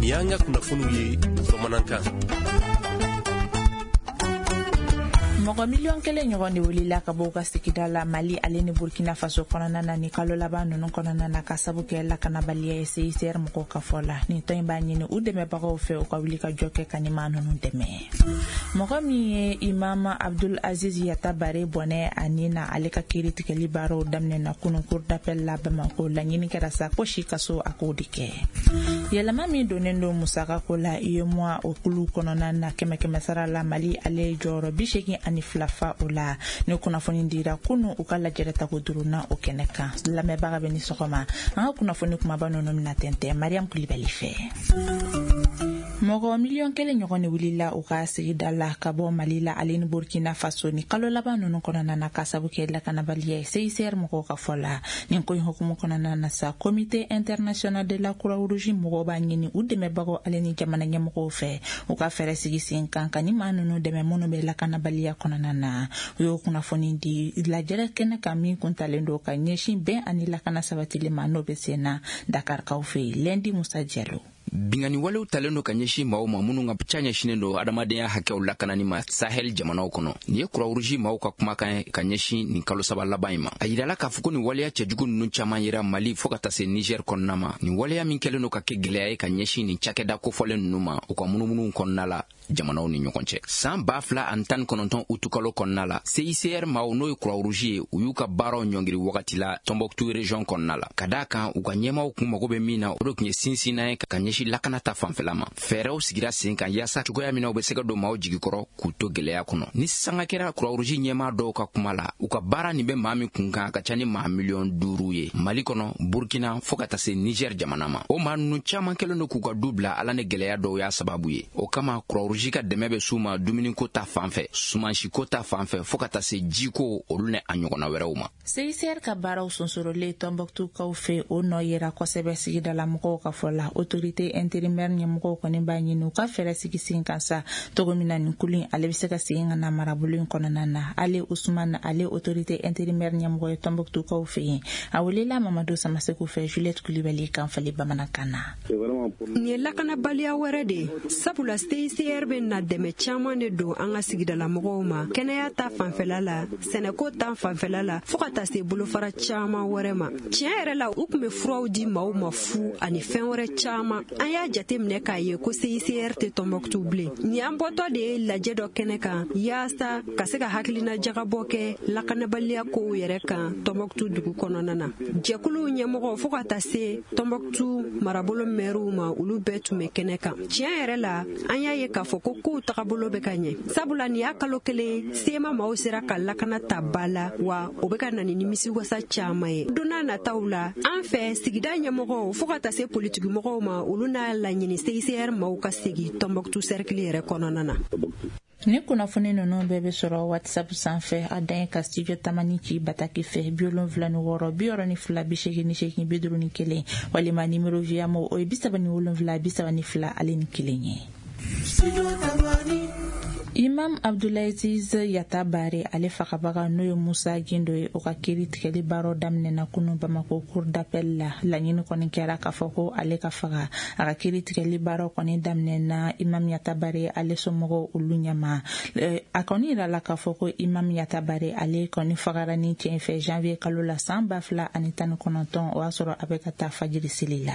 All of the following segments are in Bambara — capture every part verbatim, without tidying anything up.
Nin y'an ka kunnafoniw ye bamanankan. Mɔgɔ miliyɔn kelen ɲɔgɔn de wulila ka bɔ u ka sigida la Mali ale ni Burkina Faso kɔnɔna na ni kalo laban ninnu kɔnɔna na, ka sabu kɛ lakanabaliya ye, C I C R mɔgɔw ka fɔ la. Nin tɔn in b'a ɲini u dɛmɛbagaw fɛ, u ka wuli ka jɔ kɛ ka nin maa ninnu dɛmɛ. Mɔgɔ min ye Imam Abdul Aziz Yatabare bɔnɛ a ni na, ale ka kiiri tigɛli baaraw daminɛna kunun cour d'appel la Bamako. Laɲini kɛra sa ko si kaso a k'o de kɛ. Yɛlɛma min donnen don musakako la UEMOA o kulu kɔnɔna na, kɛmɛ kɛmɛ sara la, Mali ale ye jɔyɔrɔ bi seegin ani fila fa o la. Ni kunnafoni dira kunu u ka lajɛrɛ tako duurunan o kɛnɛ kan. Lamɛnbaga bɛ ni sɔgɔma. An ka kunnafoni kumaba ninnu bɛna tɛntɛn Mariam Kulibali fɛ. Mɔgɔ miliyɔn kelen ɲɔgɔn de wulila u ka sigida la ka bɔ Mali la ale ni Burkina Faso ni kalo laban ninnu kɔnɔna na, ka sabu kɛ lakanabaliya ye, C I C R mɔgɔw ka fɔ la. Nin ko in hukumu kɔnɔna na sa, Comité international de la Croix-Rouge mɔgɔw b'a ɲini u dɛmɛbagaw ale ni jamana ɲɛmɔgɔw fɛ, u ka fɛɛrɛ sigi sen kan ka ni maa ninnu dɛmɛ minnu bɛ lakanabaliya kɔnɔna na. U y'o kunnafoni di lajɛrɛ kɛnɛ kan min kun talen don ka ɲɛsin bɛn ani lakana sabatili ma, n'o bɛ sen na Dakarikaw fɛ yen. Lundi Musa Jalo. Bingani walew talen don ka ɲɛsin maaw ma minnu ka ca ɲɛsinen don adamadenya hakɛw lakanani ma Sahel jamanaw kɔnɔ. Nin ye Croix-Rouge maaw ka kumakan ye ka ɲɛsin nin kalo saba laban in ma. A yirala k'a fɔ ko nin waleya cɛjugu ninnu caaman yera Mali fɔɔ ka taa se Niger kɔnɔna ma. Nin waleya min kɛlen don ka kɛ gwɛlɛya ye ka ɲɛsin nin cakɛda kofɔlen ninnu ma u ka munumunuw kɔnɔna la jamanaw ni ɲɔgɔn cɛ. Saan ba fila ani tan kɔnɔntɔn utukalo kɔnɔna la, C I C R maaw, n'o ye Croix-Rouge ye, u y'u ka baaraw ɲɔngiri wagati la Tombouctou région kɔnɔna la, ka daa kan u ka ɲɛmaw kun mago bɛ min na, o de tun ye sinsinna ye ka ɲɛsin lakana ta fanfɛla ma. Fɛɛrɛw sigira sen kan yaasa cogoya min na u bɛ se ka don maaw jigi kɔrɔ k'u to gwɛlɛya kɔnɔ. Ni sanga kɛra Croix-Rouge ɲɛmaa dɔw ka kuma la, u ka baara nin bɛ maa min kun kan, a ka ca ni maa miliyɔn duuru ye Mali kɔnɔ, Burkina fɔɔ ka taa se Niger jamana ma. O maa ninnu caaman kɛlen don k'u ka du bila Ala ni gwɛlɛya dɔw y'a sababu ye. O kama Croix-Rouge ka dɛmɛ bɛ s'u ma dumuniko ta fan fɛ, sumansiko ta fan fɛ, fɔɔ ka taa se jiko, olu ni a ɲɔgɔnna wɛrɛw ma. C I C R ka baaraw sonsorolen Tɔnbɔkutukaw fɛ, o nɔ yera kosɛbɛ sigidala mɔgɔw ka fɔ la. Autorité intérimaire ɲɛmɔgɔw kɔni b'a ɲini u ka fɛɛrɛ sigi sen kan sa, cogo min na nin kulu in ale bɛ se ka segin ka na marabolo in kɔnɔna na. Ale Usman, ale autorité intérimaire ɲɛmɔgɔ ye Tɔnbɔkutukaw fɛ yen, a welela Mamadu Samaseku fɛ Juliette Kulibali kan fali bamanankan na. Nin ye lakanabaliya wɛrɛ de ye, sabula C I C R bɛ na dɛmɛ caman de don an ka sigidalamɔgɔw ma, kɛnɛya ta fanfɛla la, sɛnɛko ta fanfɛla la, fɔɔ ka taa se bolofara caman wɛrɛ ma. Tiɲɛ yɛrɛ la, u tun bɛ furaw di maaw ma fu ani fɛn wɛrɛ caman. An y'a jate minɛ k'a ye ko C I C R tɛ Tɔnbɔkutu bilen. Nin y'an bɔtɔ de ye lajɛ dɔ kɛnɛ kan yaasa ka se ka hakilina jagabɔ kɛ lakanabaliya kow yɛrɛ kan Tɔnbɔkutu dugu kɔnɔna na. Jɛkuluw ɲɛmɔgɔ fɔɔ ka taa se Tɔnbɔkutu marabolo mɛriw ma, olu bɛɛ tun bɛ kɛnɛ kan. Tiɲɛ yɛrɛ la, an y'a ye k'a fɔ ko kow tagabolo bɛ ka ɲɛ, sabula nin y'a kalo kelen sema maaw sera ka lakana ta ba la, wa o bɛ ka na ni nimisiwasa caman ye. Don n'a nataw la, an fɛ sigida ɲɛmɔgɔw fɔɔ ka taa se politikimɔgɔw ma, olu n'a laɲini C I C R maaw ka segi Tɔnbɔkutu sɛrikili yɛrɛ kɔnɔna na. Ni kunnafoni ninnu bɛɛ bɛ sɔrɔ WhatsApp sanfɛ. A dan ye ka Studio Tamani ci bataki fɛ bi wolonfila ni wɔɔrɔ bi wɔɔrɔ ni fila bi seegin ni seegin bi duuru ni kelen, walima numéro Viamo, o ye bi saba ni wolonfila bi saba ni fila ale ni kelen ye. Imam Abdulaziz Yatabare ale fagabaga, n'o ye Musa Gindo ye, o ka kiiri tigɛli baaraw daminɛna kunu Bamako cour d'appel la. Laɲini kɔni kɛra k'a fɔ ko ale ka faga. A ka kiiri tigɛli baaraw kɔni daminɛna Imam Yatabare ale somɔgɔw olu ɲɛma. A kɔni yirala k'a fɔ ko Imam Yatabare ale kɔni fagara ni cɛ fɛ janvier kalo la san ba fila ani tan ni kɔnɔntɔn, o y'a sɔrɔ a bɛ ka taa fajiri seli la.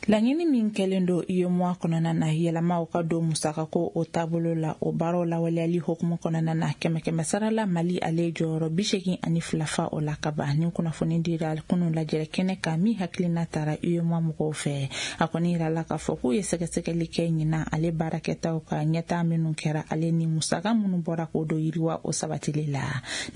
Laɲini min kɛlen don UEMOA kɔnɔna na, yɛlɛmaw ka don musakako o taabolo la, o baaraw lawaleyali hukumu kɔnɔna na, kɛmɛ kɛmɛ sara la, Mali ale jɔyɔrɔ bi seegin ani fila fa o la kaban. Ni kunnafoni dira kunun lajɛrɛ kɛnɛ kan min hakilina tara UEMOA mɔgɔw fɛ. A kɔni yirala k'a fɔ k'u ye sɛgɛsɛgɛli kɛ ɲinan ale baarakɛtaw ka ɲɛtaa minnu kɛra ale ni musaka minnu bɔra k'o don yiriwa o sabatili la.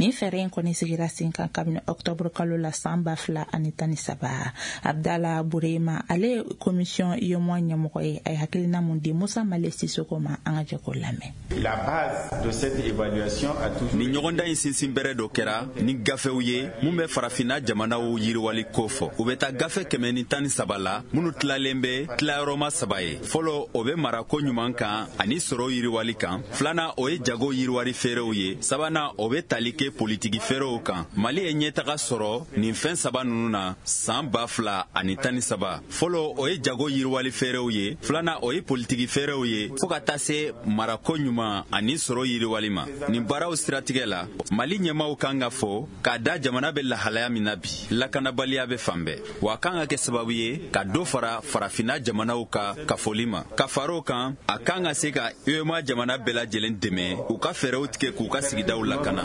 Nin fɛɛrɛ in kɔni sigira sen kan kabini ɔktɔburu kalo la san ba fila ani tan ni saba. Abdala Burema, ale commission UEMOA ɲɛmɔgɔ ye, a ye hakilina mun di Musa Male Sisoko ma? An ka jɛ k'o lamɛn. La base de cette évaluation a toujours Nin ɲɔgɔndan in sinsin bɛrɛ dɔ kɛra ni gafew ye mun bɛ farafinna jamanaw yiriwali ko fɔ. U bɛ taa gafe kɛmɛ ni tan ni saba la minnu tilalen bɛ tilayɔrɔma saba ye. Fɔlɔ, o bɛ marako ɲuman kan ani sɔrɔ yiriwali kan. Filanan, o ye jago yiriwari feerew ye. Sabanan, o bɛ tali kɛ politiki feerew kan. Mali ye ɲɛtaga sɔrɔ nin fɛn saba ninnu na san ba fila ani tan ni saba. Fɔlɔ, o o ye jago yiriwali fɛɛrɛw ye, filanan o ye politiki fɛɛrɛw ye, fo ka taa se marako ɲuman ani sɔrɔ yiriwali ma. Nin baaraw siratigɛ la, Mali ɲɛmaaw kan ka fɔ k'a da jamana bɛ lahalaya min na bi, lakanabaliya bɛ fan bɛɛ, wa a kan ka kɛ sababu ye ka dɔ fara farafinna jamanaw ka kafoli ma. Ka fara o kan, a kan ka se ka U E M A jamana bɛɛ lajɛlen dɛmɛ u ka fɛɛrɛw tigɛ k'u ka sigidaw lakana.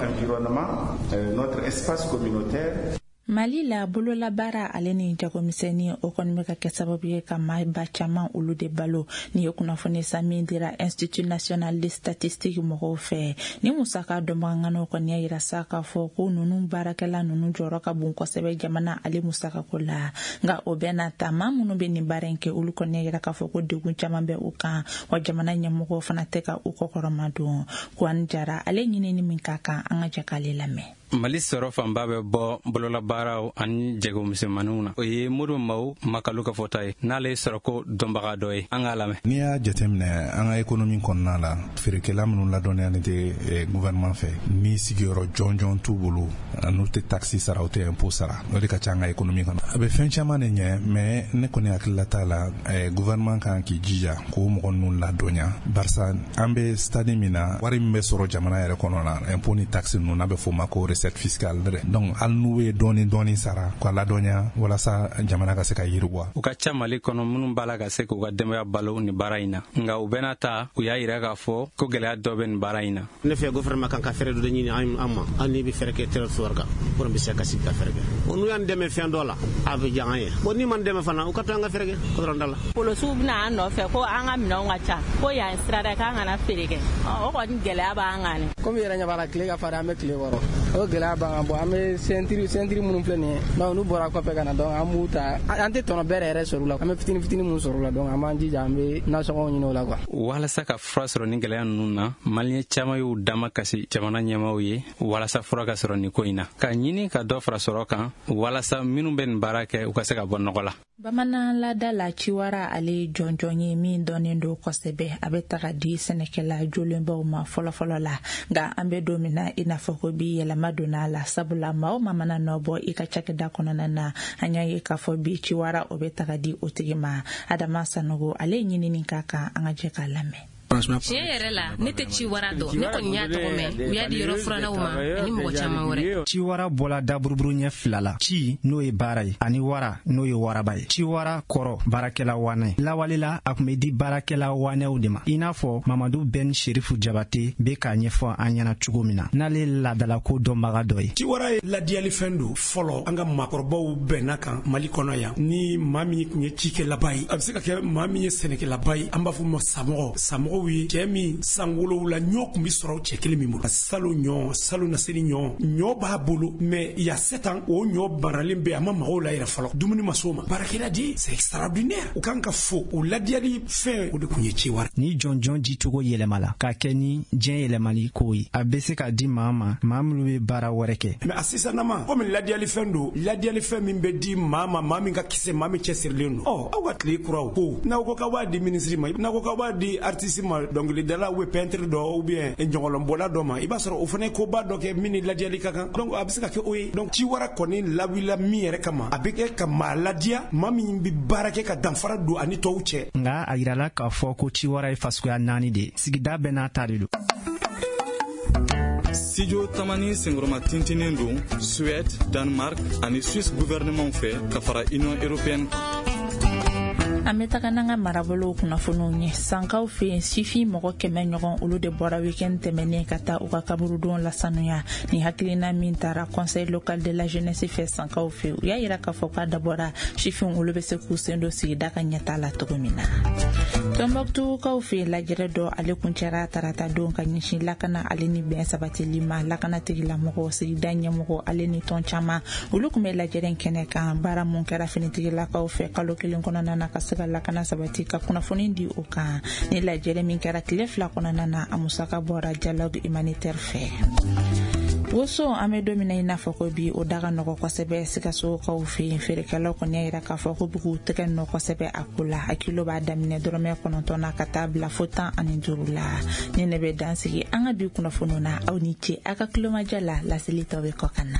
Mali la bololabaara ale ni jagomisɛnnin o kɔni bɛ ka kɛ sababu ye ka maaba caman olu de balo. Nin ye kunnafoni san min dira Institut national de statistique mɔgɔw fɛ. Ni musaka dɔnbagaŋanaw kɔni y'a yira sa k'a fɔ ko ninnu baarakɛla ninnu jɔyɔrɔ ka bon kosɛbɛ jamana ale musakako la. Nka o bɛɛ n'a ta, maa minnu bɛ nin baara in kɛ olu kɔni y'a yira k'a fɔ ko degun caman bɛ u kan, wa jamana ɲɛmɔgɔw fana tɛ ka u kɔkɔrɔma don. Kuwani Jara ale ɲinini min ka kan, an ka jɛ k'ale lamɛn. Mali sɔrɔ fanba bɛ bɔ bololabaaraw ani jagomisɛnmaninw na. O ye Modibo Maw Makalu ka fɔta ye, n'ale ye sɔrɔko dɔnbaga dɔ ye. An k'a lamɛn. N'i y'a jateminɛ an ka économie kɔnɔna la, feerekɛla minnu ladɔnniyalen tɛ gouvernement fɛ, ni sigiyɔrɔ jɔnjɔn t'u bolo, n'u tɛ taxe sara, u tɛ impôt sara, o de ka ca an ka économie kɔnɔ. A bɛ fɛn caman de ɲɛ, mais ne kɔni hakilila t'a la, gouvernement kan k'i jija k'o mɔgɔ ninnu ladɔnniya, barisa an bɛ stade min na, wari min bɛ sɔrɔ jamana yɛrɛ kɔnɔ la, impôt ni taxe ninnu, n'a bɛ f'o ma ko recette fiscale. Donc hali n'u ye dɔɔni dɔɔni sara k'a ladɔnniya walasa jamana ka se ka yiriwa. U ka ca Mali kɔnɔ minnu b'a la ka se k'u ka denbaya balo nin baara in na, nka u bɛna ta u y'a yira k'a fɔ ko gɛlɛya dɔ bɛ nin baara in na. Ne fɛ gouvernement kan ka fɛɛrɛ dɔ ɲini an ma, hali n'i bɛ fɛɛrɛ kɛ territoire kan, pour bɛ se ka sigi ka fɛɛrɛ kɛ. Bon, n'u y'an dɛmɛ fɛn dɔ la, a bɛ diya an ye. Bon, n'i m'an dɛmɛ fana, u ka to an ka fɛɛrɛ kɛ kɔdɔrɔn da la. Polosiw bɛna an nɔfɛ ko an ka minɛnw ka ca, ko yan sirada k'an kana feere kɛ. O kɔni gɛlɛya b'an kan. Komi yɛrɛ ɲɛ b'a la, tile ka farin, an bɛ tile kɔrɔ. O gɛlɛya b'an kan. Bon, an bɛ sentiri sentiri minnu filɛ nin ye, donc n'u bɔra kɔfɛ ka na, donc an b'u ta, an tɛ tɔnɔ bɛɛ yɛrɛ sɔrɔ u la, an bɛ fitini fitini mun sɔrɔ u la, donc an b'an jija an bɛ nasɔngɔw ɲini o la quoi. Walasa ka fura sɔrɔ nin gɛlɛya ninnu na, maliyɛn caman y'u dama kasi jamana ɲɛmaaw ye walasa fura ka sɔrɔ nin ko in na, ka ɲini ka dɔ fara sɔrɔ kan walasa minnu bɛ nin baara kɛ u ka se ka bɔ nɔgɔ la. Bamanan laada la, ciwara ale ye jɔnjɔn ye min dɔnnen don kosɛbɛ. A bɛ taga di sɛnɛkɛla jolenbaw ma fɔlɔfɔlɔ la, nka an bɛ don min na i n'a fɔ ko bi yɛlɛma donna a la, sabula maa o maa mana nɔ bɔ i ka cakɛda kɔnɔna na, an y'a ye k'a fɔ bi ciwara o bɛ taga di o tigi ma. Adama Sanogo ale ye ɲinini k'a kan, an ka jɛ k'a lamɛn. Tiɲɛ yɛrɛ la, ne tɛ ciwara dɔn. Ne kɔni y'a tɔgɔ mɛn, u y'a di yɔrɔ furannaw ma ani mɔgɔ caman wɛrɛ. Ciwara bɔla daburuburu ɲɛ fila la, ci n'o ye baara ye ani wara n'o ye waraba ye. Ciwara kɔrɔ baarakɛla wanɛ. Lawale la, a tun bɛ di baarakɛla wanɛw de ma, i n'a fɔ Mamadu Ben Sherifu Jabate bɛ k'a ɲɛfɔ an ɲɛna cogo min na, n'ale laadalako dɔnbaga dɔ ye. Ciwara ye ladiyalifɛn don. Fɔlɔ an ka maakɔrɔbaw bɛnna kan Mali kɔnɔ yan, ni maa min tun ye cikɛlaba ye, a bɛ se ka kɛ maa min ye sɛnɛkɛlaba ye, an b'a fɔ ma samɔgɔ. Samɔgɔ ye cɛ min san wolowula ɲɔ tun bɛ sɔrɔ cɛ kelen min bolo, salo ɲɔ, salo naseni ɲɔ, ɲɔ b'a bolo, mais il y a sept ans o ɲɔ maralen bɛ, a ma mago la yɛrɛ fɔlɔ, dumuni ma s'o ma. Baarakɛla di, c'est extraordinaire, u kan ka fo o ladiyali fɛn, o de tun ye ciwara. Ni jɔnjɔn dicogo yɛlɛmala k'a kɛ ni diɲɛ yɛlɛmali ko ye, a bɛ se ka di maa ma, maa minnu bɛ baara wɛrɛ kɛ. Mais a sisanama, komi ladiyali fɛn don, ladiyali fɛn min bɛ di maa ma, maa min ka kisɛ, maa min cɛsirilen don. Ɔ, aw ka tile kuraw ko n'aw ko k'aw b'a di minisiri ma, n'aw ko k'aw b'a di artiste ma, dɔnkilidala ou peintre dɔ ou bien ɲɔgɔlɔnbɔla dɔ ma, i b'a sɔrɔ o fana ye koba dɔ kɛ min ni ladiyali ka kan. Donc a bɛ se ka kɛ o ye. Donc ciwara kɔni lawulila min yɛrɛ kama, a bɛ kɛ ka maa ladiya, maa min bɛ baara kɛ ka danfara don ani tɔw cɛ. Nka a yirala k'a fɔ ko ciwara ye fasuguya naani de ye, sigida bɛɛ n'a ta de don. Studio Tamani senkɔrɔma tintinnen don Suède, Danemark ani Suisse gouvernement fɛ ka fara Union européenne kan. An bɛ taga n'an ka marabolow kunnafoniw ye. Sankaw fɛ yen, sifin mɔgɔ kɛmɛ ɲɔgɔn olu de bɔra weekend tɛmɛnen ka taa u ka kaburudon lasanuya. Ni hakilina min taara conseil local de la jeunesse fɛ sankaw fɛ, u y'a yira k'a fɔ k'a dabɔra sifin olu bɛ se k'u sen don sigida ka ɲɛtaa la cogo min na. Tɔnbɔkutukaw fɛ yen, lajɛrɛ dɔ ale kuncɛra tarata don ka ɲɛsin lakana ale ni bɛn sabatili ma. Lakana tigilamɔgɔw, sigida ɲɛmɔgɔ ale ni tɔn caman olu tun bɛ lajɛrɛ in kɛnɛ kan. Baara mun kɛra finitigilakaw fɛ kalo kelen kɔnɔna na ka se ka lakana sabati, ka kunnafoni di o kan. Ni lajɛrɛ min kɛra tile fila kɔnɔna na, a musaka bɔra dialogue humanitaire fɛ. Woso an bɛ don min na i n'a fɔ ko bi, o da ka nɔgɔ kosɛbɛ Sikasokaw fɛ yen. Feerekɛlaw kɔni y'a yira k'a fɔ ko b'u tɛgɛ nɔ kosɛbɛ a ko la. A kilo b'a daminɛ dɔrɔmɛ kɔnɔntɔn na ka taa bila fo tan ani duuru la. Ni ne bɛ dan sigi an ka bi kunnafoniw na, aw ni ce aw ka tulomajɔ la. Laseli tɔ bɛ kɔ ka na.